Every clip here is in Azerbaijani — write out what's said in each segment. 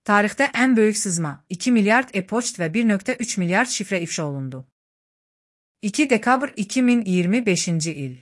Tarixdə ən böyük sızma 2 milyard e-poçt və 1,3 milyard şifrə ifşa olundu. 2 dekabr 2025-ci il.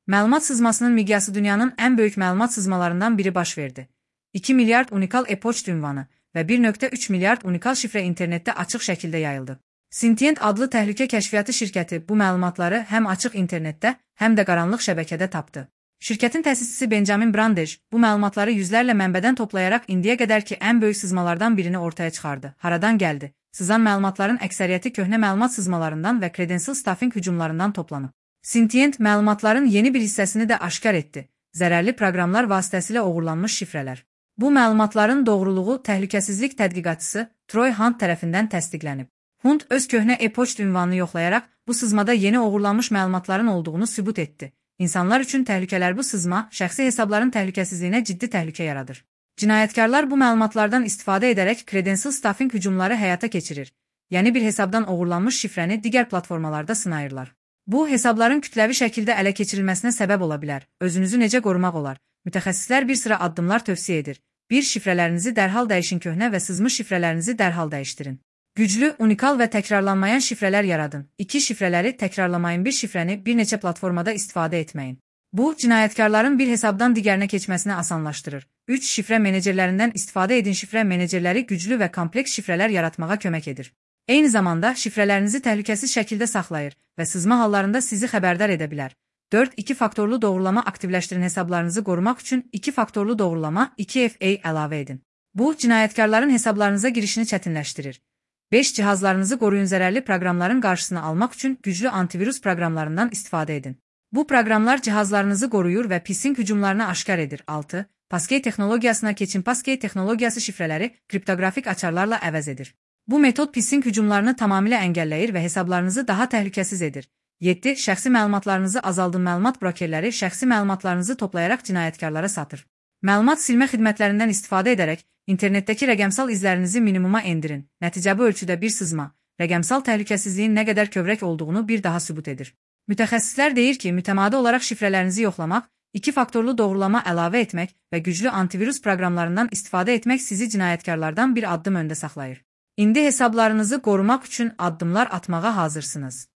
Məlumat sızmasının miqyası dünyanın ən böyük məlumat sızmalarından biri baş verdi. 2 milyard unikal e-poçt ünvanı və 1,3 milyard unikal şifrə internetdə açıq şəkildə yayıldı. Sentient adlı təhlükə kəşfiyyatı şirkəti bu məlumatları həm açıq internetdə, həm də qaranlıq şəbəkədə tapdı. Şirkətin təsisçisi Benjamin Brandej bu məlumatları yüzlərlə mənbədən toplayaraq indiyə qədərki ən böyük sızmalardan birini ortaya çıxardı. Haradan gəldi? Sızan məlumatların əksəriyyəti köhnə məlumat sızmalarından və credential stuffing hücumlarından toplanıb. Sentient məlumatların yeni bir hissəsini də aşkar etdi. Zərərli proqramlar vasitəsilə oğurlanmış şifrələr. Bu məlumatların doğruluğu təhlükəsizlik tədqiqatçısı Troy Hunt tərəfindən təsdiqlənib. Hunt öz köhnə e-poçt ünvanını yoxlayaraq bu sızmada yeni oğurlanmış məlumatların olduğunu sübut etdi. İnsanlar üçün təhlükələr bu sızma, şəxsi hesabların təhlükəsizliyinə ciddi təhlükə yaradır. Cinayətkarlar bu məlumatlardan istifadə edərək credential stuffing hücumları həyata keçirir. Yəni bir hesabdan oğurlanmış şifrəni digər platformalarda sınayırlar. Bu, hesabların kütləvi şəkildə ələ keçirilməsinə səbəb ola bilər. Özünüzü necə qorumaq olar? Mütəxəssislər bir sıra addımlar tövsiyə edir. 1. Şifrələrinizi dərhal dəyişin, köhnə və sızmış şifrələrinizi dərhal dəyişdirin. Güclü, unikal və təkrarlanmayan şifrələr yaradın. 2. Şifrələri təkrarlamayın, bir şifrəni bir neçə platformada istifadə etməyin. Bu, cinayətkarların bir hesabdan digərinə keçməsini asanlaşdırır. 3. Şifrə menecerlərindən istifadə edin. Şifrə menecerləri güclü və kompleks şifrələr yaratmağa kömək edir. Eyni zamanda şifrələrinizi təhlükəsiz şəkildə saxlayır və sızma hallarında sizi xəbərdar edə bilər. 4. 2 faktorlu doğrulama aktivləşdirin. Hesablarınızı qorumaq üçün 2 faktorlu doğrulama 2FA əlavə edin. Bu, cinayətkarların hesablarınıza girişini çətinləşdirir. 5. Cihazlarınızı qoruyun. Zərərli proqramların qarşısını almaq üçün güclü antivirus proqramlarından istifadə edin. Bu proqramlar cihazlarınızı qoruyur və phishing hücumlarını aşkar edir. 6. Passkey texnologiyasına keçin. Passkey texnologiyası şifrələri kriptoqrafik açarlarla əvəz edir. Bu metod phishing hücumlarını tamamilə əngəlləyir və hesablarınızı daha təhlükəsiz edir. 7. Şəxsi məlumatlarınızı azaldın. Məlumat brokerləri şəxsi məlumatlarınızı toplayaraq cinayətkarlara satır. Məlumat silmə xidmətlərindən istifadə edərək internetdəki rəqəmsal izlərinizi minimuma endirin. Nəticə bu ölçüdə bir sızma, rəqəmsal təhlükəsizliyin nə qədər kövrək olduğunu bir daha sübut edir. Mütəxəssislər deyir ki, mütəmadi olaraq şifrələrinizi yoxlamaq, 2 faktorlu doğrulama əlavə etmək və güclü antivirus proqramlarından istifadə etmək sizi cinayətkarlardan bir addım öndə saxlayır. İndi hesablarınızı qorumaq üçün addımlar atmağa hazırsınız.